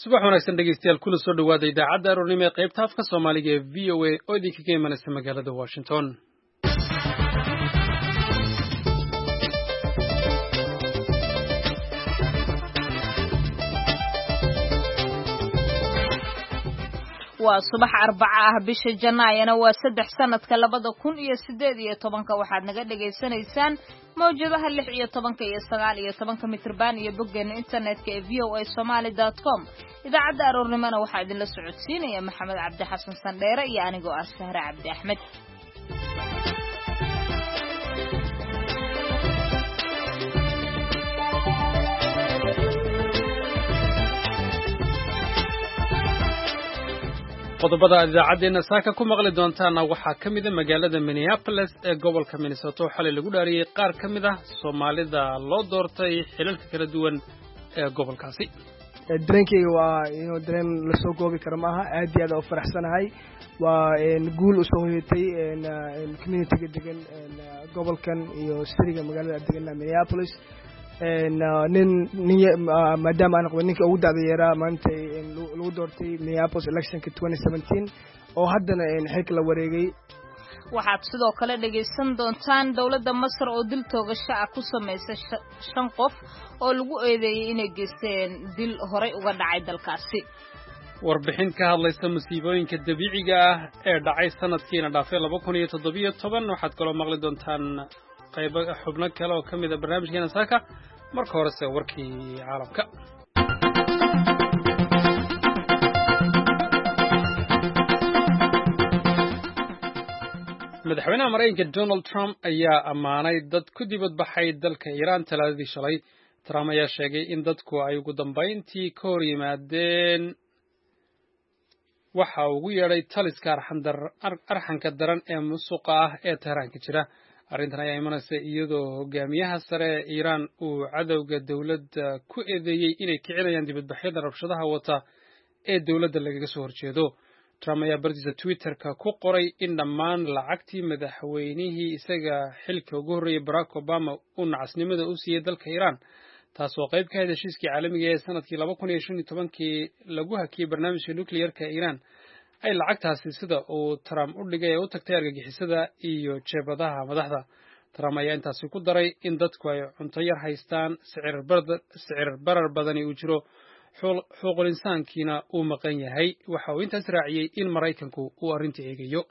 Subax wanaagsan, dhegeystayaal. Kuna soo dhowaada idaacadda aroornimo ee qaybta afka Soomaaliga ee VOA oo idinkaga imanaysa magaalada Washington. Waa subax Arbaca ah, bisha Janaayana waa 3, sanadka 2018-ka. Waxaad naga dhagaysanaysaan mawjadaha 16 iyo 19 mitrban iyo boggeena internetka ee voasomaly.com. Idaacadda aroornimona waxaa idinla socodsiinaya Maxamed Cabdi Xasan Sandheere iyo anigoo ah Sahre Cabdi Axmed. Qodobada aad idaacaddeenna saaka ku maqli doontaana waxaa ka mida magaalada Minneapolis ee gobolka Minnesota oo xalay lagu dhaariyey qaar ka mid ah Soomaalida loo doortay xilalka kala duwan ee gobolkaasi. Dareenkeyga waa inuu dareen lasoo goobi karo maaha. Aad iyo aad u faraxsanahay. Waa guul usoo hoyatay communityga degan gobolkan iyo city-ga magaalada degan Minneapolis. Nin nin maadaama aan qabo ninka ugu da'da yaraa maanta lagu doortay Minneapolis electionka 2017 oo haddana xilka la wareegay. Waxaad sidoo kale dhegaysan doontaan dowladda Masar oo dil toogasho ah ku samaysay shan qof oo lagu eedeeyey inay geysteen dil horay uga dhacay dalkaasi. Warbixin ka hadlaysa musiibooyinka dabiiciga ah ee dhacay sanadkiina dhaafay 2017. Waxaad kaloo maqli doontaan qaybo xubno kale oo ka mid a barnaamijkeena saaka. Marka horese warkii caalamka. Madaxweynaha Maraykanka Donald Trump ayaa ammaanay dad ku dibadbaxay dalka Iiraan Talaadadii shalay. Trump ayaa sheegay in dadku ay ugu dambayntii ka hor yimaadeen waxa ugu yeedhay taliska arxanka daran ee musuqa ah ee Teheraan ka jira. Arrintan ayaa imanaysa iyadoo hogaamiyaha sare ee Iiraan uu cadowga dowladda ku eedeeyey inay kicinayaan dibadbaxyada rabshadaha wata ee dowladda lagaga soo horjeedo. Trump ayaa bartiisa Twitterka ku qoray in dhammaan lacagtii madaxweynihii isaga xilka ugu horreeyey, Barack Obama, uu nacasnimada u siiyey dalka Iiraan, taas oo qayb ka ahayd heshiiskii caalamiga ee sanadkii 2015-kii lagu hakiyey barnaamijka nuclearka Iiraan, ay lacagtaasi, sida uu Trump u dhigay, ee u tagtay argagixisada iyo jeebadaha madaxda. Trump ayaa intaasi ku daray in dadku ay cunto yar haystaan, sicir barar badani uu jiro, xuquuqul insaankiina uu maqan yahay. Waxa uu intaas raaciyey in Maraykanku uu arrinta eegayo.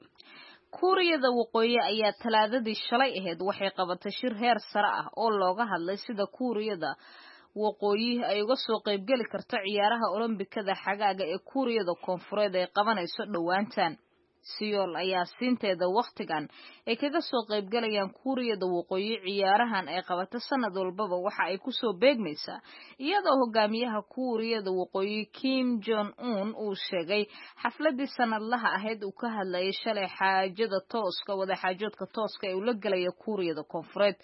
Kuuriyada Waqooyi ayaa Talaadadii shalay ahayd waxay qabatay shir heer sare ah oo looga hadlay sida Kuuriyada Waqooyi ay uga soo qaybgeli karto ciyaaraha Olombikada xagaaga ee Kuuriyada Koonfureed ay qabanayso dhowaantan. Siyool ayaa siinteeda wakhtigan ay kaga soo qaybgalayaan Kuuriyada Waqooyi ciyaarahan ay qabato sanad walbaba waxa ay kusoo beegmaysaa iyadoo hogaamiyaha Kuuriyada Waqooyi Kim Jong Un uu sheegay xafladii sanadlaha ahayd uu ka hadlayay shalay xaajada tooska, wadaxaajoodka tooska ee uu la gelaya Kuuriyada Koonfureed,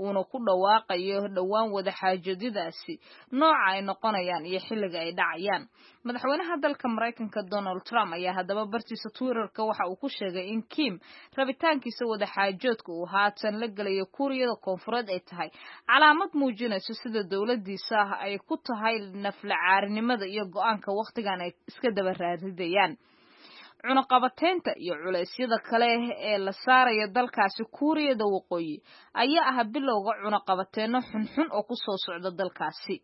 uuna ku dhawaaqayo dhowaan wadaxaajoodadaasi nooca ay noqonayaan iyo xilliga ay dhacayaan. Madaxweynaha dalka Maraykanka Donald Trump ayaa haddaba bartiisa Twitterka waxa uu ku sheegay in Kim rabitaankiisa wadaxaajoodka uu haatan la gelayo Kuuriyada Koonfureed ay tahay calaamad muujinayso sida dowladiisa ah ay ku tahay naflacaarinimada iyo go'aanka wakhtigan ay iska daba raaridayaan cunaqabateynta iyo culeysyada kale ee la saarayo dalkaasi Kuuriyada Waqooyi ayaa ah bilowga cunaqabateenno xunxun oo kusoo socda dalkaasi.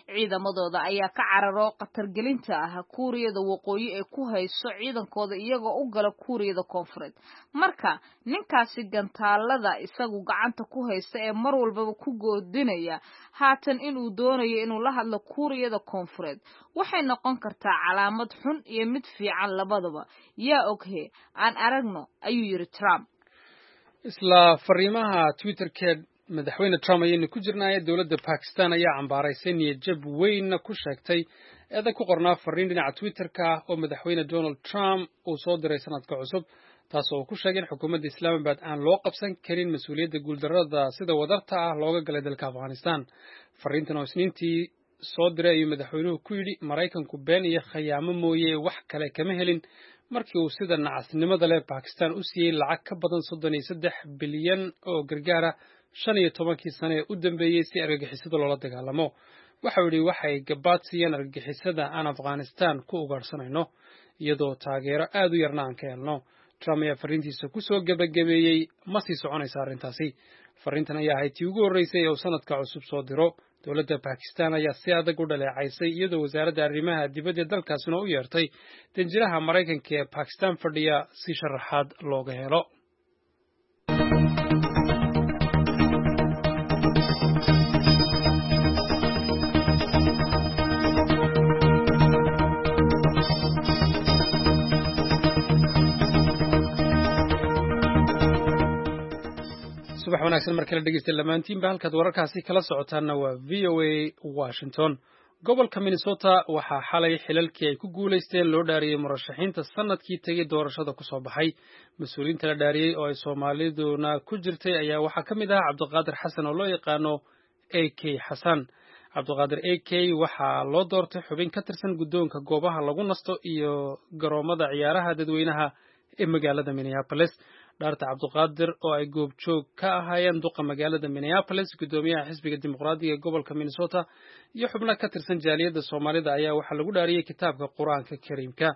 Ciidamadooda ayaa ka cararo khatargelinta ah Kuuriyada Waqooyi ee ku hayso ciidankooda iyagoo u gala Kuuriyada Koonfureed. Marka ninkaasi gantaalada isagu gacanta ku haysta ee mar walbaba ku goodinaya haatan inuu doonayo inuu la hadlo Kuuriyada Koonfureed waxay noqon kartaa calaamad xun iyo mid fiican labadaba. Yaa oghe, aan aragno, ayuu yidhi Trump. Isla fariimaha Twitterkeed madaxweyne Trump ayaynu ku jirnaaye, dowladda Bakistan ayaa cambaaraysay, niyadjab weynna ku sheegtay eeda ku qornaa fariin dhinaca Twitterka ah oo madaxweyne Donald Trump uu soo diray sanadka cusub, taas oo uu ku sheegay in xukuumadda Islamabad aan loo qabsan karin mas-uuliyadda guuldarrada sida wadarta ah looga galay dalka Afghanistan. Fariintan oo Isniintii soo diray ayuu madaxweynuhu ku yidhi: "Maraykanku been iyo khayaamo mooye wax kale kama helin markii uu sida nacasnimada leh Bakistan u siiyey lacag ka badan 33 bilyan oo gargaara 15-kii sane ee u dambeeyey si argagixisada loola dagaalamo." Waxau yidhi waxay gabaad siiyeen argagixisada aan Afghanistan ku ugaadhsanayno, iyadoo taageero aad u yarna aan ka helno. Trump ayaa fariintiisa ku soo gebagabeeyey, ma sii soconaysa arrintaasi. Fariintan ayaa ahayd tii ugu horreysay ee uu sanadka cusub soo diro. Dowladda Bakistan ayaa si adag u dhaleecaysay, iyadoo wasaaradda arrimaha dibadda dalkaasina u yeertay danjiraha Maraykanka ee Bakistan fadhiya si sharaxaad looga helo. Subax wanaagsan mar kale dhegeysta lamaantiinba, halkaad wararkaasi kala socotaanna waa VOA Washington. Gobolka Minnesota waxaa xalay xilalkii ay ku guulaysteen loo dhaariyey murashaxiinta sanadkii tegey doorashada ku soo baxay. Mas-uuliyiinta la dhaariyey oo ay Soomaaliduna ku jirtay ayaa waxaa ka mid ahaa Cabdiqaadir Xasan oo loo yaqaano A K Xasan. Cabdiqaadir A K waxaa loo doortay xubin ka tirsan guddoonka goobaha lagu nasto iyo garoomada ciyaaraha dadweynaha ee magaalada Minneapolis. Dhaarta Cabdiqaadir oo ay goobjoog ka ahaayeen duqa magaalada Minneapolis, guddoomiyaha xisbiga Dimuqraadiga ee gobolka Minnesota iyo xubno ka tirsan jaaliyadda Soomaalida ayaa waxaa lagu dhaariyey kitaabka Qur-aanka Kariimka.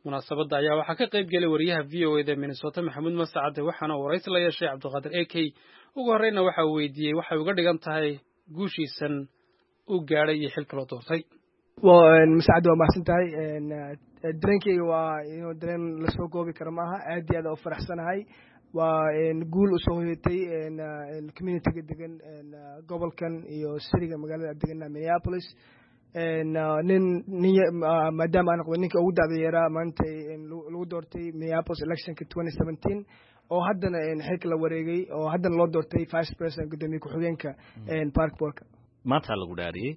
Munaasabadda ayaa waxaa ka qayb gelay wariyaha VOA da Minnesota Maxamuud Mascade, waxaana uu waraysi la yeeshay Cabdiqaadir A K. Ugu horreyna waxa uu weydiiyey waxay uga dhigan tahay guushiisan uu gaadhay iyo xilka loo doortay. Mascade, waa mahadsan tahay. Dareenkeyga waa inuu dareen lasoo goobi karo maaha. Aad iyo aad u faraxsanahay. Waa guul usoo hoyatay communityga degan gobolkan iyo city-ga magaalada degana Minneapolis. Nin nin maadaama aan noqday ninka ugu da'da yaraa maanta lagu doortay Minneapolis electionka 2017, oo haddana xilka la wareegay, oo haddana loo doortay vice president, guddoomiye ku-xigeenka park boardka. Maanta lagu dhaariyey,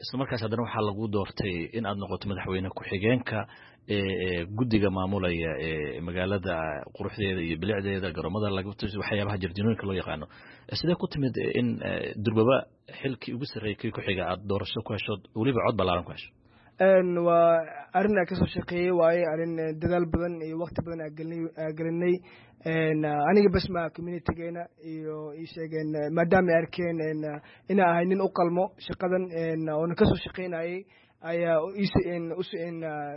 isla markaas haddana waxaa lagu doortay in aad noqoto madaxweyne ku-xigeenka guddiga maamulaya ee magaalada quruxdeeda iyo bilicdeeda, garoomada laga, waxyaabaha jardiinooyinka loo yaqaano. Sidee ku timid in durbaba xilkii ugu sarreeyay kii ku-xiga aad doorasho ku hesho, weliba cod ballaaran ku hesho? Waa arrin aan kasoo shaqeeyey waaye, arrin dadaal badan iyo waqti badan aa gelinay. Aniga bas ma, communitygeena iyo ii sheegeen, maadaama ay arkeen inaa ahay nin u qalmo shaqadan oona kasoo shaqeynayay, ayaa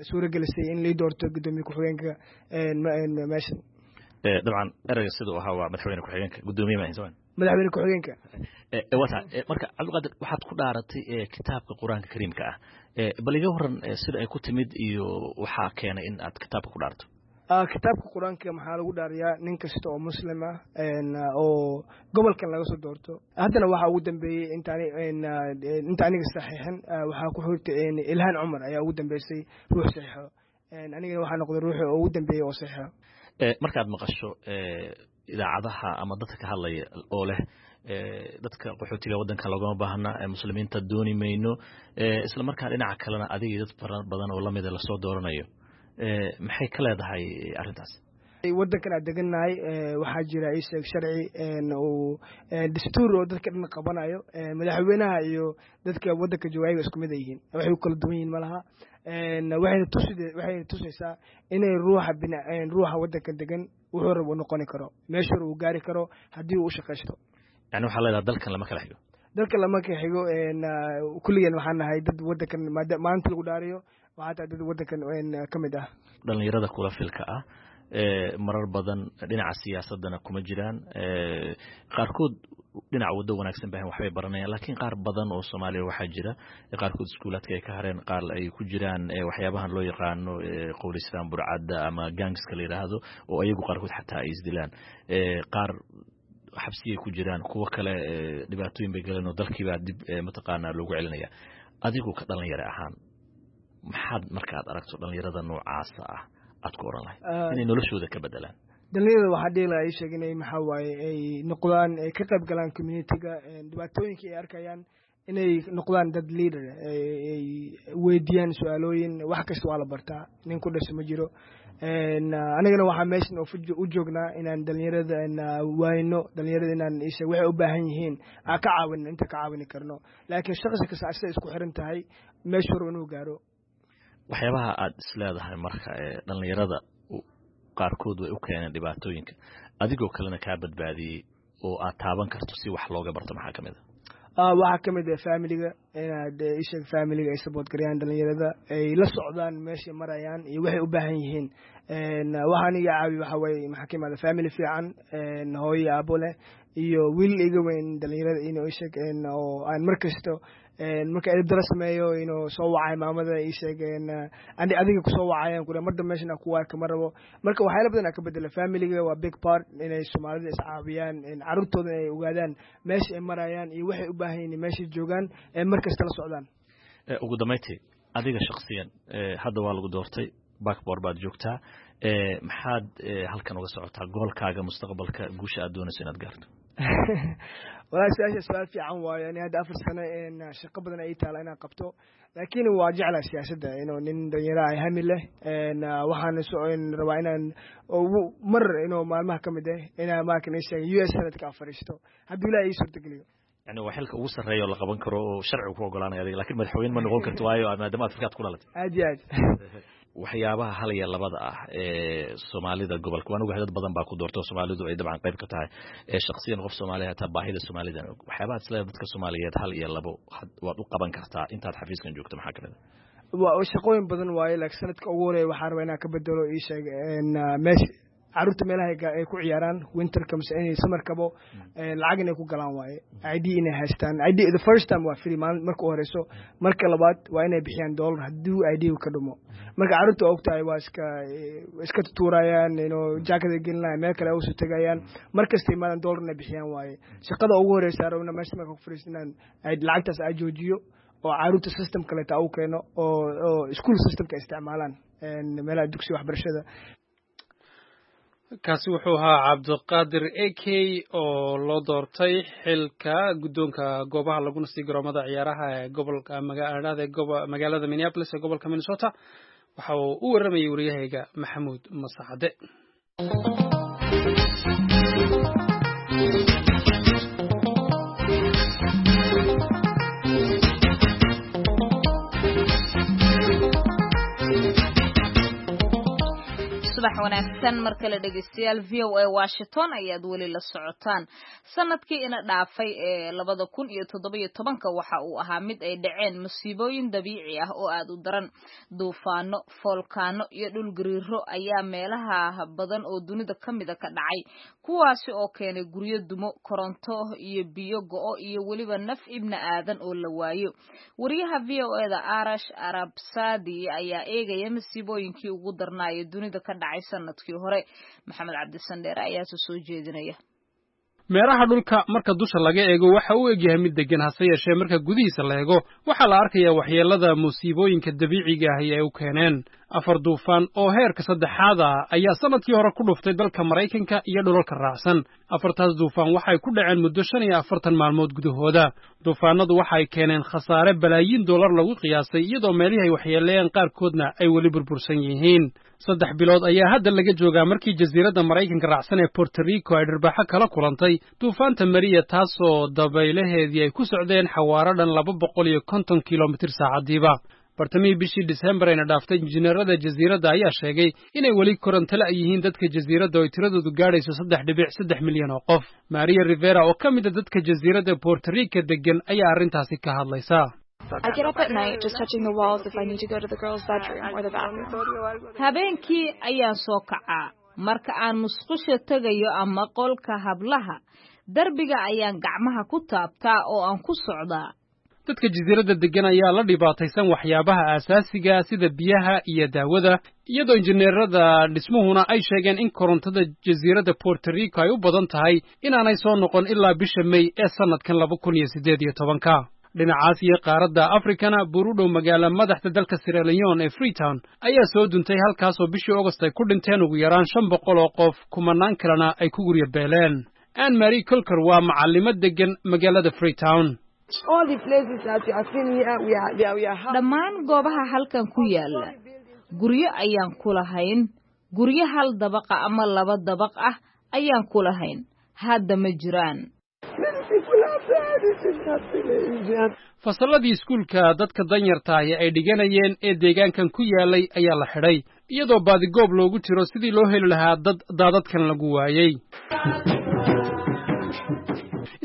suura gelisay in lii doorto guddoomiye ku-xigeenka meeshan. Dabcan ereyga siduu ahaa waa madaxweyne ku-xigeenka, guddoomiye ma ahayn, soma? Madaxweyne ku-xigeenka. Wata marka, Cabdiqaadir, waxaad ku dhaaratay kitaabka Qur-aanka Kariimka ah. Bal iga waran sida ay ku timid iyo waxaa keenay in aad kitaabka ku dhaarto. Kitaabka Qur-aanka maxaa lagu dhaariyaa nin kasta oo Muslim ah oo gobolkan laga soo doorto. Haddana waxaa ugu dambeeyey inta aniga saxiixin, waxaa ku xigtay Ilhaan Cumar ayaa ugu dambeysay ruux saxiixo. Anigana waxaa noqday ruuxi ugu dambeeyey oo saxiixo. Markaad maqasho idaacadaha ama dadka ka hadlaya oo leh dadka qaxootiga waddanka loogama baahna, Muslimiinta dooni mayno, isla markaa dhinaca kalena adigii dad fara badan oo lamida lasoo dooranayo, maxay ka leedahay arrintaas? Waddankan aan degannahay waxaa jira, ii sheeg, sharci uu dastuur oo dadka dhan qabanayo. Madaxweynaha iyo dadka waddanka jooga ayaga isku mid ay yihiin, waxay u kala duwan yihiin malaha. Waxayna tusaysaa inay ruuxa ruuxa waddanka degan wuxuu rab uu noqoni karo, meeshuu rab uu gaari karo haddii uu u shaqaysto. Yani waxaa leedahay dalkan lama kala xigo. Dalka lama kala xigo. Kulligeen waxaan nahay dad waddankan maalinta lagu dhaariyo waxaa tahay dad waddankan ka mid ah. Dhalinyarada kula filka ah marar badan dhinaca siyaasadana kuma jiraan. Qaarkood dhinac waddo wanaagsan bahan waxbay baranayaan, laakiin qaar badan oo Soomaaliya waxaa jira qaarkood iskuulaadka ay ka hareen, qaar ay ku jiraan waxyaabahan loo yaqaano qowlistaan burcadda ama gangska la yidhaahdo, oo ayagu qaarkood xataa ay isdilaan, qaar xabsiyay ku jiraan, kuwo kale dhibaatooyin bay galeen oo dalkiibaa dib mataqaanaa loogu celinaya. Adigu ka dhalinyaro ahaan, maxaad markaad aragto dhalinyarada noocaasa ah aad ku oran lahayd inay noloshooda ka bedelaan? Dhalinyarada waxaa dhihi lahaa, ii sheeg, inay maxaa waaye ay noqdaan, ay ka qayb galaan communityga dhibaatooyinka ay arkayaan, inay noqdaan dad leader, ay weydiiyaan su-aalooyin. Wax kasta waa la bartaa, nin ku dhasho ma jiro. Anigana waxaa meeshan u joognaa inaan dhalinyarada waayno, dhalinyarada inaan isheeg waxay u baahan yihiin aan ka caawino inta ka caawini karno, laakiin shaqsi kasta asay isku xiran tahay meeshu rabo inuu gaaro. Waxyaabaha aad isleedahay marka dhalinyarada qaarkood way u keeneen dhibaatooyinka, adigoo kalena kaa badbaadiyey oo aad taaban karto si wax looga barto, maxaa ka mid a? Waxaa ka mid ah familiga, inaad isheeg familiga ay support gareeyaan dhalinyarada, ay la socdaan meeshay marayaan iyo waxay u baahan yihiin. Waxaan iga caawiya waxa weeye, maxaa ka imaada family fiican, hooyo iyo aabo leh iyo wiil iga weyn dhalinyarada, inuu isheeg oo aan mar kasto marka edeb dara sameeyo inuu soo wacay maamada, ii sheeg ani adiga kusoo wacayaan kule mar dambe meeshan ku arka ma rabo. Marka waxyaala badan aa ka bedela. Familiga waa big part inay Soomaalida iscaawiyaan, carruurtooda ay ogaadaan meesha ay marayaan iyo waxay u baahan yihiin, meeshay joogaan, ee mar kasta la socdaan. Ugu dambayntii, adiga shaksiyan hadda waa lagu doortay, Park Board baad joogtaa, maxaad halkan uga socotaa, goalkaaga mustaqbalka, guusha aad doonayso inaad gaarto? Walahi, su-aasha su-aal fiican waayo. Ani hadda 4 sano shaqo badan ay taala inaan qabto, laakiin waa jeclaa siyaasadda, inuu nin dhalinyaro ay hami leh. Waxaan rabaa inaan mar inuu maalmaha ka mid ah inaan maakan sheega US Senatka fariisto, hadduu Ilaah ii suurtageliyo. Yani waa xilka ugu sarreeya oo la qaban karo oo sharcigu ku ogolaanaya adiga, lakin madaxweyne ma noqon karto, waayo maadaama Afrikaad ku dhalatay. Aad iyo aad. Waxyaabaha hal iyo labada ah ee Soomaalida gobolka, waan ogahay dad badan baa ku doorto, Soomaalidu ay dabcan qayb ka tahay, ee shaksiyan qof Soomaaliya hataa baahida Soomaalida og, waxyaabaha isleedahay dadka Soomaaliyeed hal iyo labo waad u qaban kartaa intaad xafiiskan joogto, maxaa kamid ah? Waa shaqooyin badan waaye, laakiin sanadka ugu horeeya waxaa rabaa inaan ka bedelo, ii sheeg, meesha carruurta meelaha ay ku ciyaaraan winterka mise inay summerkabo lacag inay ku galaan waaye, ID inay haystaan. ID the first time waa free maalin marka u horeyso, marka labaad waa inay bixiyaan dollar hadduu ID ka dhumo. Marka carruurta waa ogtahay, waa iska tutuurayaan, inuu jaakada gelinaya, meel kale usoo tegayaan. Mar kasta imaadan dollar inay bixiyaan waaye. Shaqada ugu horeysa rabna meesha marka ku fariisto inaan lacagtaas ay joojiyo oo carruurta system kaleeta u keeno oo school systemka isticmaalaan meelaha dugsiga waxbarashada. Kaasi wuxuu ahaa Cabdiqaadir A K oo loo doortay xilka guddoonka goobaha laguna sii garoomada ciyaaraha ee gobolka magaalada magaalada Minneapolis ee gobolka Minnesota. Waxa uu u warramayay wariyahayga Maxamuud Masacade. Subax wanaagsan mar kale, dhegeystayaal. VOA Washington ayaad weli la socotaan. Sanadkii ina dhaafay ee 2017-ka waxa uu ahaa mid ay dhaceen musiibooyin dabiici ah oo aad u daran. Duufaano, foolkaano iyo dhulgariiro ayaa meelaha badan oo dunida ka mida ka dhacay, kuwaasi oo keenay guryo dumo, koronto iyo biyo go'o, iyo weliba naf ibna aadan oo la waayo. Wariyaha VOA-da Arash Arabsadi ayaa eegaya masiibooyinkii ugu darnaaya dunida ka dhacay sanadkii hore. Maxamed Cabdisandheere ayaase soo jeedinaya. Meeraha dhulka marka dusha laga eego waxa uu egyahay mid deggan, hase yeeshee marka gudihiisa la eego waxaa la arkayaa waxyeellada musiibooyinka dabiiciga ahi ay u keeneen. Afar duufaan oo heerka saddexaad ah ayaa sannadkii hore ku dhuftay dalka Maraykanka iyo dhulalka raacsan. Afartaas duufaan waxay ku dhaceen muddo 45 maalmood gudahooda. Duufaanadu waxay keeneen khasaare balaayiin dollar lagu qiyaasay, iyadoo meelihii ay waxyeeleeyeen qaarkoodna ay weli burbursan yihiin. 3 bilood ayaa hadda laga joogaa markii jasiiradda Maraykanka raacsan ee Puerto Rico ay dhirbaaxo kala kulantay duufaanta Maria, taasoo dabaylaheedii ay ku socdeen xawaaro dhan 250 kilomitir saacadiiba. Bartamihii bishii Disembar ayna dhaaftay, injineerada jasiiradda ayaa sheegay inay weli koronto la' yihiin dadka jasiiradda oo ay tiradoodu gaadhayso 3.3 milyan oo qof. Maria Rivera oo ka mid a dadka jasiiradda Puerto Rico degan ayaa arrintaasi ka hadlaysa. I get up at night just touching the walls if I need to go to the girls' bedroom or the bathroom. Habeenkii ayaan soo kacaa marka aan musqusha tegayo ama qolka hablaha. Darbiga ayaan gacmaha ku taabtaa oo aan ku socdaa. Dadka jasiiradda deggan ayaa la dhibaataysan waxyaabaha aasaasiga sida biyaha iyo daawada, iyadoo injineerada dhismuhuna ay sheegeen in korontada jasiiradda Puerto Rico ay u badan tahay inaanay soo noqon ilaa bisha May ee sannadkan 2018-ka. Dhinacaas iyo qaaradda Afrikana, buur u dhow magaala madaxda dalka Sierra Leone ee Freetown ayaa soo duntay, halkaasoo bishii Agost ay ku dhinteen ugu yaraan 500 oo qof, kumanaan kalena ay ku guryo beeleen. Ann Marie Colker waa macallimo deggan magaalada Freetown. Dhammaan goobaha halkan ku yaala guryo ayaan ku lahayn. Guryo hal dabaqa ama laba dabaq ah ayaan ku lahayn. Hadda ma jiraan. Fasalladii iskuulka dadka danyartaahi ay dhiganayeen ee deegaankan ku yaalay ayaa la xidhay, iyadoo baadigoob loogu jiro sidii loo heli lahaa dad daadadkan lagu waayey.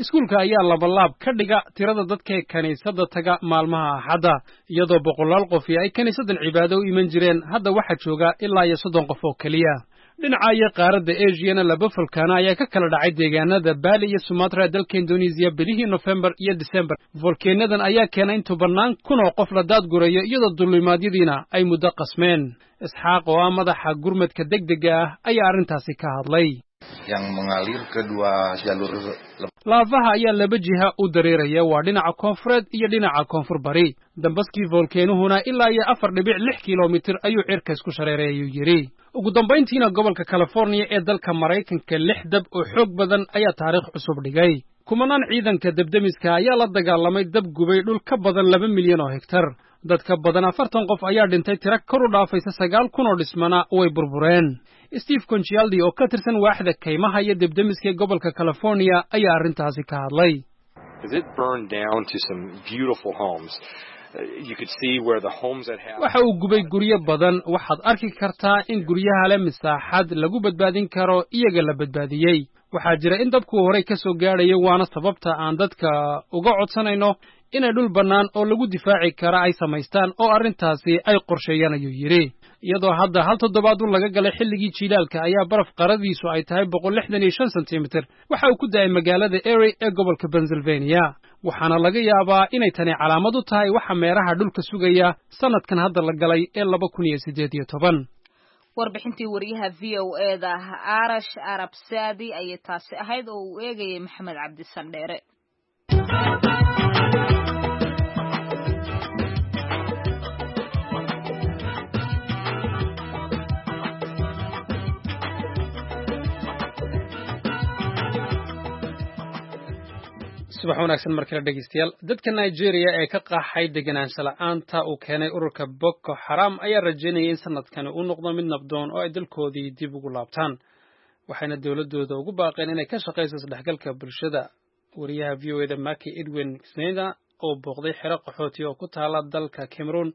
Iskuulka ayaa labalaab ka dhiga tirada dadka kiniisadda taga maalmaha Axadda, iyadoo boqolaal qofi ay kiniisaddan cibaado u iman jireen. Hadda waxaa jooga ilaa iyo 30 qof oo keliya. Dhinaca iyo qaaradda Esiyana, laba volkaano ayaa ka kala dhacay deegaanada Bali iyo Sumatra ee dalka Indonesiya bilihii Nofembar iyo Disembar. Volkeenadan ayaa keenay in tobannaan kun oo qof la daadgurayo, iyadoo duulimaadyadiina ay muddo qasmeen. Isxaaq oo ah madaxa gurmadka degdega ah ayaa arrintaasi ka hadlay. Yang mengalir ke dua jalur. Laafaha ayaa laba jiha u dareeraya, waa dhinaca koonfureed iyo dhinaca koonfur bari. Dambaskii volkeenuhuna ilaa iyo 4.6 kilomitir ayuu cirka isku shareeray, ayuu yidhi. Ugu dambayntiina, gobolka Californiya ee dalka Maraykanka lix dab oo xoog badan ayaa taariikh cusub dhigay. Kumanaan ciidanka debdemiska ayaa la dagaalamay dab gubay dhul ka badan 2 milyan oo hektar. Dad ka badan 40 qof ayaa dhintay, tiro kor u dhaafaysa 9,000 oo dhismana way burbureen. Steve Concialdi oo ka tirsan waaxda kaymaha iyo debdemiska ee gobolka California ayaa arrintaasi ka hadlay. It burned down to some beautiful homes. You could see where the homes that have Waxa uu gubay guryo badan. Waxaad arki kartaa in guryaha leh misaaxad lagu badbaadin karo iyaga la badbaadiyey. Waxaa jira in dabku horey ka soo gaadhayo, waana sababta aan dadka uga codsanayno inay dhul bannaan oo lagu difaaci kara ay samaystaan oo arrintaasi ay qorsheeyaan, ayuu yidhi. Iyadoo hadda hal toddobaad un laga galay xilligii jiilaalka ayaa baraf qaradiisu ay tahay 165 sentimitir waxa uu ku da'ay magaalada Erie ee gobolka Pennsylvania, waxaana laga yaabaa inay tani calaamad u tahay waxa meeraha dhulka sugaya sanadkan hadda la galay ee 2018. Warbixintii wariyaha VOA-da Arash Arab Saadi ayay taasi ahayd oo uu eegayay Maxamed Cabdi Sandheere. Subax wanaagsan mar kale, dhegeystayaal. Dadka Nigeria ee ka qaxay deganaansho la'aanta uu keenay ururka Boko Xaram ayaa rajaynaya in sanadkani uu noqdo mid nabdoon oo ay dalkoodii dib ugu laabtaan, waxayna dowladooda ugu baaqeen inay ka shaqayso isdhexgalka bulshada. Wariyaha VOA-da Maki Edwin Sneda oo booqday xero qaxooti oo ku taala dalka Cameroon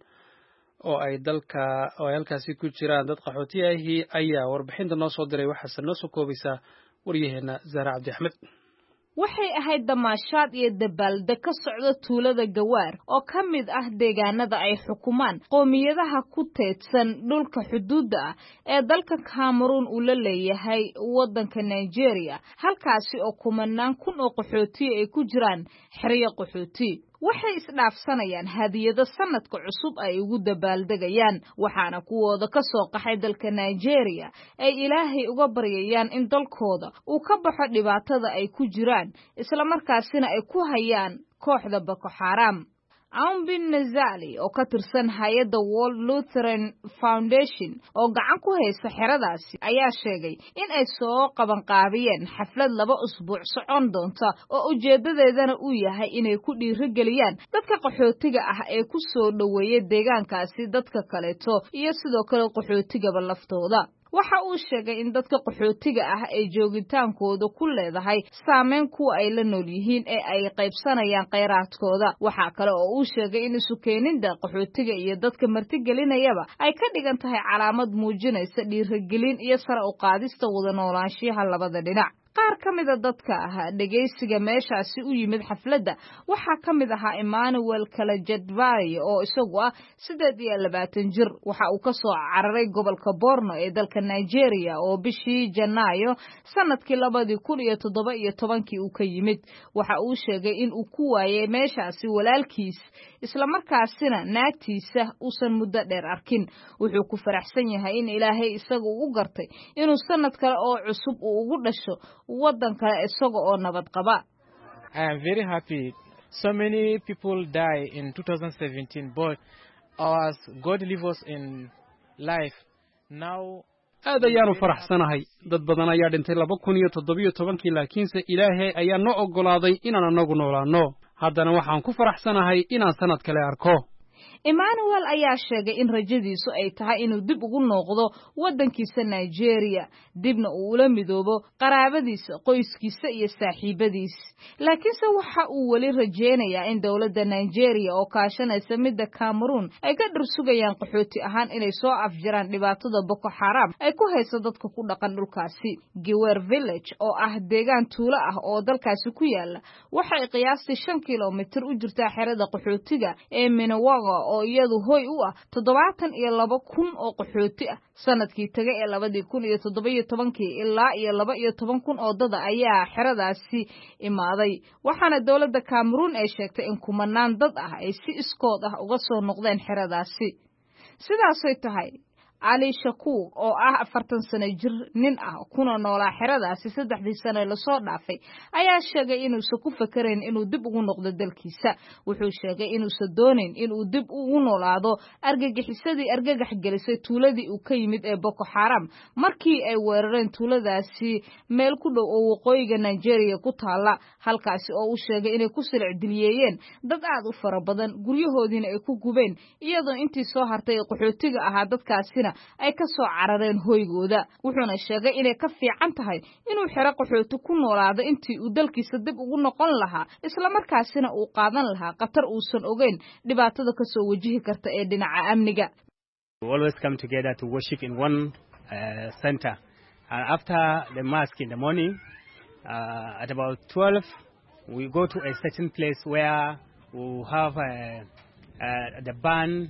oo ay dalka oo ay halkaasi ku jiraan dad qaxooti ahi ayaa warbixinta noo soo diray, waxaase noo soo koobaysaa waryaheena Zahra Cabdi Axmed. Waxay ahayd damaashaad iyo dabaaldeg ka socda tuulada Gawaar oo ka mid ah deegaanada ay xukumaan qoomiyadaha ku teedsan dhulka xuduudda ah ee dalka Cameroon uu la leeyahay waddanka Nigeria, halkaasi oo kumanaan kun oo qaxootiya ay ku jiraan xeryo qaxooti. Waxay isdhaafsanayaan hadiyado sanadka cusub ay ugu dabaaldegayaan, waxaana kuwooda ka soo qaxay dalka Nigeria ay Ilaahay uga baryayaan in dalkooda uu ka baxo dhibaatada ay ku jiraan, islamarkaasina ay ku hayaan kooxda Boko Xaram. Aumbin Nazali oo ka tirsan hay-adda World Lutheran Foundation oo gacan ku haysa xeradaasi ayaa sheegay in ay soo qabanqaabiyeen xaflad 2 usbuuc socon doonta oo ujeedadeedana uu yahay inay ku dhiirigeliyaan dadka qaxootiga ah ee ku soo dhoweeya deegaankaasi dadka kaleeto iyo sidoo kale qaxootigaba laftooda. Waxa uu sheegay in dadka qaxootiga ah ay joogitaankooda ku leedahay saameyn kuwa ay la nool yihiin ee ay qaybsanayaan khayraadkooda. Waxaa kale oo uu sheegay in isu keenida qaxootiga iyo dadka martigelinayaba ay ka dhigan tahay calaamad muujinaysa dhiirigelin iyo sare u qaadista wada noolaanshiyaha labada dhinac. Qaar ka mida dadka ah dhegaysiga meeshaasi u yimid xafladda waxaa ka mid ahaa Emmanuel Kalajadvai oo isagu ah 28 jir. Waxa uu ka soo cararay gobolka Borno ee dalka Nigeria oo bishii Janaayo sanadkii 2017-kii uu ka yimid. Waxa uu sheegay in uu ku waayay meeshaasi walaalkiis, islamarkaasina naagtiisa uusan muddo dheer arkin. Wuxuu ku faraxsan yahay in Ilaahay isaga u gartay inuu sanad kale oo cusub uu ugu dhasho waddan kale isaga oo nabad qaba. I am very happy. So many people die in 2017, but ours, God leave us in life. Now Aad ayaanu faraxsanahay. Dad badan ayaa dhintay 2017-kii, laakiinse Ilaahay ayaa noo oggolaaday inaan anagu noolaanno. Haddana waxaan ku faraxsanahay inaan sannad kale arko. Emmanuel ayaa sheegay in rajadiisu ay tahay inuu dib ugu noqdo waddankiisa Nigeria, dibna uu ula midoobo qaraabadiisa, qoyskiisa iyo saaxiibadiis. Laakiinse waxa uu weli rajeynayaa in dowladda Nigeria oo kaashanaysa midda Cameroon ay ka dhursugayaan qaxooti ahaan inay soo afjaraan dhibaatada Boko Haram ay ku hayso dadka ku dhaqan dhulkaasi. Giwer Village oo ah deegaan tuulo ah oo dalkaasi ku yaala waxay qiyaastii 5 kiiloomitir u jirtaa xerada qaxootiga ee Minawaga oo iyadu hoy u ah 72,000 oo qaxooti ah. Sanadkii tagay ee 2017 ilaa iyo 12,000 oo dada ayaa xeradaasi imaaday, waxaana dowladda Cameroon ay sheegtay in kumanaan dad ah ay si iskood ah uga soo noqdeen xeradaasi. Sidaasay tahay, Cali Shakuur oo ah 40 sano jir nin ah kuna noolaa xeradaasi 3dii sano lasoo dhaafay ayaa sheegay inuusan ku fakarayn inuu dib ugu noqdo dalkiisa. Wuxuu sheegay inuusan doonayn inuu dib ugu noolaado argagixisadii argagax gelisay tuuladii uu ka yimid ee Boko Haram markii ay weerareen tuuladaasi meel ku dhow oo waqooyiga Nigeria ku taala, halkaasi oo uu sheegay inay ku silic diliyeeyeen dad aad u fara badan, guryahoodiina ay ku gubeen, iyadoo intii soo hartay ee qaxootiga ahaa dadkaasina ay ka soo carareen hoygooda. Wuxuuna sheegay inay ka fiican tahay inuu xero qaxooti ku noolaado intii uu dalkiisa dib ugu noqon lahaa, islamarkaasina uu qaadan lahaa khatar uusan ogeyn dhibaatada ka soo wajihi karta ee dhinaca amniga. We always come together to worship in one center. And after the mosque in the morning, at about 12, we go to a certain place where we have the band.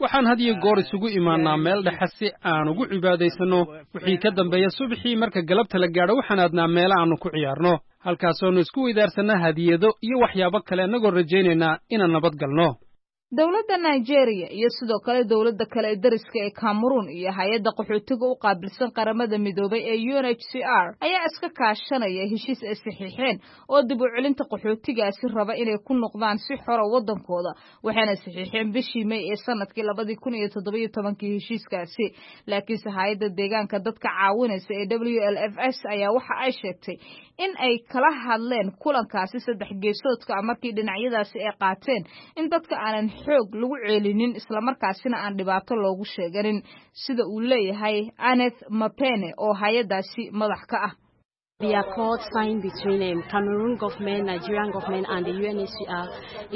Waxaan had iyo goor isugu imaannaa meel dhexe si aan ugu cibaadaysanno. Wixii ka dambeeya subaxii marka galabta la gaadho waxaan aadnaa meelo aannu ku ciyaarno, halkaasoonu isku weydaarsanna hadiyado iyo waxyaabo kale, annagoo rajaynaynaa inaan nabad galno. Dowladda Nigeria iyo sidoo kale dowladda kale ee dariska ee Cameroon iyo hay-adda qaxootiga u qaabilsan Qaramada Midoobay ee UNHCR ayaa iska kaashanaya heshiis ay saxiixeen oo dib u celinta qaxootigaasi raba inay ku noqdaan si xora waddankooda, waxayna saxiixeen bishii May ee sanadkii 2017 heshiiskaasi. Laakiinse hay-adda deegaanka dadka caawinaysa ee WLFS ayaa waxa ay sheegtay in ay kala hadleen kulankaasi saddex geesoodka ah markii dhinacyadaasi ay qaateen in dadka aanan xoog lagu ceelinin, islamarkaasina aan dhibaato loogu sheeganin, sida uu leeyahay Aneth Mapene oo hay-adaasi madax ka ah. The accord signed between Cameroon government, Nigerian government and the UNHCR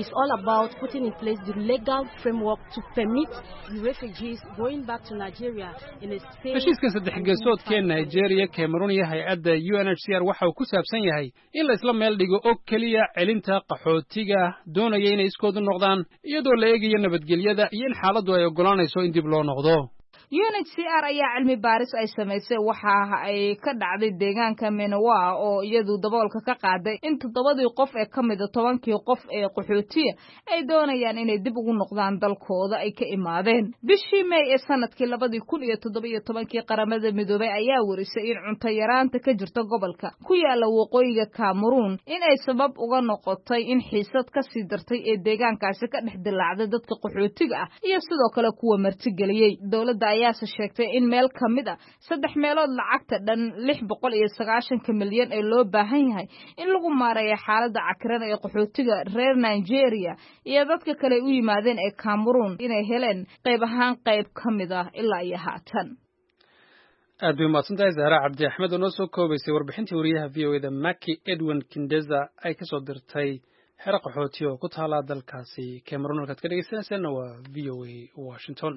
is all about putting in place the legal framework to permit the refugees going back to Nigeria in a safe. Heshiiskan saddex geesoodkee Nigeria, Cameroon iyo hay-adda UNHCR waxa uu ku saabsan yahay in la isla meel dhigo oo keliya celinta qaxootiga doonaya inay iskoodu noqdaan, iyadoo la eegayo nabadgelyada iyo in xaaladdu ay oggolaanayso in dib loo noqdo. UNHCR ayaa cilmi baaris ay samaysay waxa ay ka dhacday deegaanka Menowa oo iyadu daboolka ka qaaday in 7dii qof ee ka mida 10kii qof ee qaxootiya ay doonayaan inay dib ugu noqdaan dalkooda ay ka imaadeen. Bishii May ee sanadkii 2017 Qaramada Midoobay ayaa warisay in cunto yaraanta ka jirta gobolka ku yaala waqooyiga Cameroon in ay sabab uga noqotay in xiisad ka sii dartay ee deegaankaasi ka dhex dilaacday dadka qaxootiga ah iyo sidoo kale kuwa martigeliyey. Dowladda ayaase sheegtay in meel ka mid a 3 meelood lacagta dhan 690 milyan ee loo baahan yahay in lagu maareeyo xaaladda cakiran ee qaxootiga reer Nigeria iyo dadka kale u yimaadeen ee Cameroon inay heleen qayb ahaan qayb ka mid ah ilaa iyo haatan. Aad bay umahadsantahay Zahra Cabdi Axmed oo noo soo koobaysay warbixintii wariyaha VOA-da Maki Edwin Kindeza ay kasoo dirtay xero qaxooti oo ku taala dalkaasi Cameroon. Halkaad ka dhegeysanaysaanna waa VOA Washington.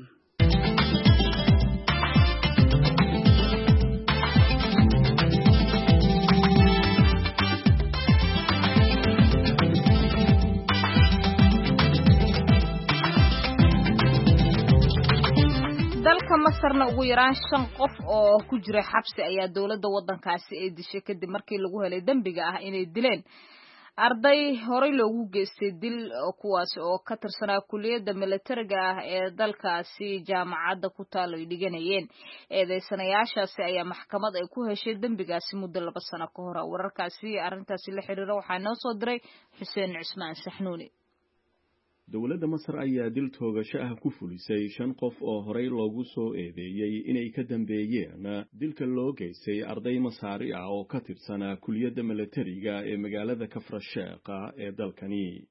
Dalka Masarna ugu yaraan 5 qof oo ku jira xabsi ayaa dowladda waddankaasi ay dishay kadib markii lagu helay dembiga ah inay dileen arday horey loogu geystay dil, kuwaas oo ka tirsanaa kuliyadda milatariga ah ee dalkaasi jaamacadda ku taal ay dhiganayeen. Eedeysanayaashaasi ayaa maxkamad ay ku heshay dembigaasi muddo 2 sano ka hor. Wararkaasi arrintaasi la xiriira waxaa noo soo diray Xuseen Cusmaan Saxnuuni. Dowladda Masar ayaa dil toogasho ah ku fulisay 5 qof oo horey loogu soo eedeeyey inay ka dambeeyeen dilka loo geystay arday masaari ah oo ka tirsanaa kuliyadda milatariga ee magaalada Kafrasheekha ee dalkani.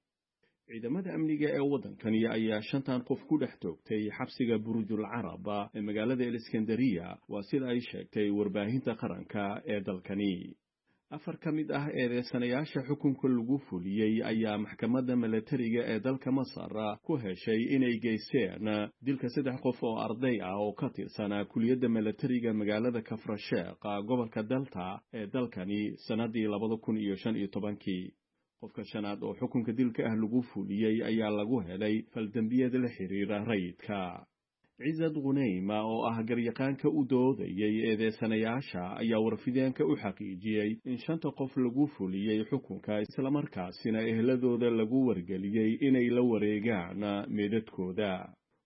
Ciidamada amniga ee waddankani ayaa 5tan qof ku dhex toogtay xabsiga Burjul Carab ee magaalada Iskandariya, waa sida ay sheegtay warbaahinta qaranka ee dalkani. 4 ka mid ah eedeysanayaasha xukunka lagu fuliyey ayaa maxkamadda milatariga ee dalka Masar ku heshay inay geysteen dilka 3 qof oo arday ah oo ka tirsanaa kuliyadda milatariga magaalada Kafrasheekh, gobolka Delta ee dalkani sannaddii 2015-kii. Qofka shanaad oo xukunka dilka ah lagu fuliyey ayaa lagu helay faldembiyada la xiriira rayidka. Cizad Khuneyma oo ah garyaqaanka u doodayay eedeysanayaasha ayaa warfideenka u xaqiijiyey in 5ta qof lagu fuliyey xukunka, islamarkaasina ehladooda lagu wargeliyey inay la wareegaan meedadkooda.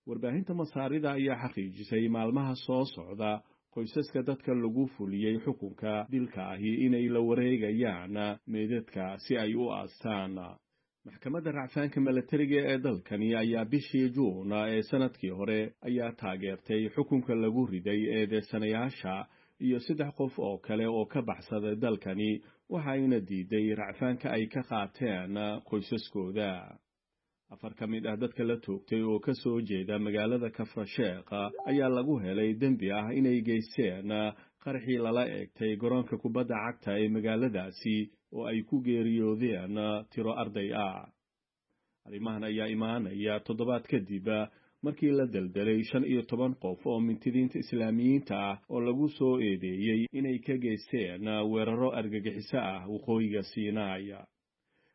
Warbaahinta Masaarida ayaa xaqiijisay maalmaha soo socda qoysaska dadka lagu fuliyey xukunka dilka ahi inay la wareegayaan meedadka si ay u aastaan. Maxkamadda racfaanka milatariga ee dalkani ayaa bishii Juun ee sanadkii hore ayaa taageertay xukunka lagu riday eedeysanayaasha iyo 3 qof oo kale oo ka baxsaday dalkani, waxayna diiday racfaanka ay ka qaateen qoysaskooda. 4 ka mid ah dadka la toogtay oo ka soo jeeda magaalada Kafrasheekh ayaa lagu helay dembi ah inay geysteen qarxii lala eegtay garoonka kubadda cagta ee magaaladaasi oo ay ku geeriyoodeen tiro arday ah. Arrimahan ayaa imaanaya toddobaad kadib markii la deldelay 15 qof oo mintidiinta Islaamiyiinta ah oo lagu soo eedeeyey inay ka geysteen weeraro argagixiso ah waqooyiga Siinaay.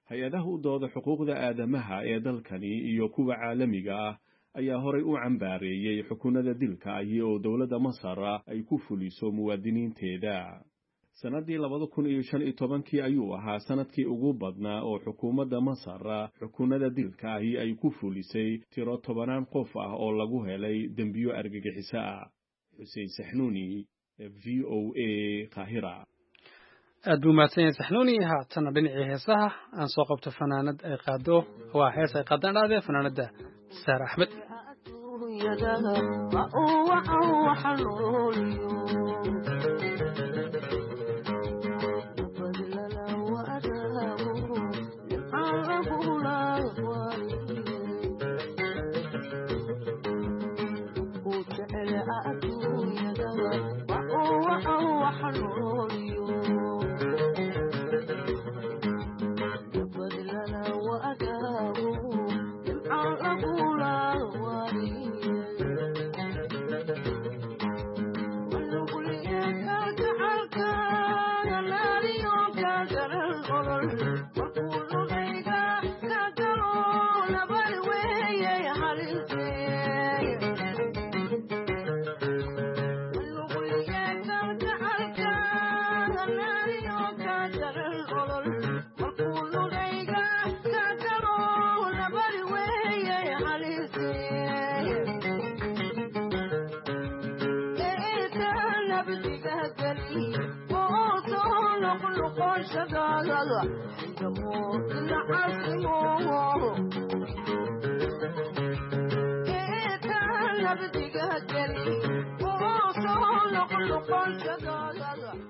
Hay-adaha u dooda xuquuqda aadamaha ee dalkani iyo kuwa caalamiga ah ayaa horay u cambaareeyey xukunada dilka ahi oo dowladda Masar ay ku fuliso muwaadiniinteeda. Sannaddii 2015-kii ayuu ahaa sanadkii ugu badnaa oo xukuumadda Masar xukunada dilka ahi ay ku fulisay tiro 10 qof ah oo lagu helay dembiyo argagixiso ah. Xuseen Saxnuuni, VOA, Qaahira. Aad buu mahadsan yahay Saxnuuni. Haatana dhinacii heesaha aan soo qabto fanaanad ay qaado, waa hees ay qaadaan dhaadee fanaanadda Saar Axmed.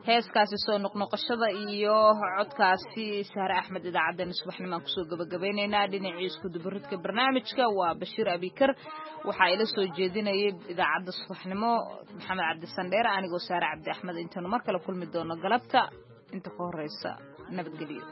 Heeskaasi soo noqnoqoshada iyo codkaasi Sahre Axmed idaacaddeenna subaxnimaan kusoo gabagabeynaynaa. Dhinacii iskudubaridka barnaamijka waa Bashiir Abikar, waxaa ila soo jeedinayay idaacadda subaxnimo Maxamed Cabdisandheer, anigoo Saare Cabdi Axmed. Intaanu mar kale kulmi doono galabta, inta ka horeysa nabadgelyo.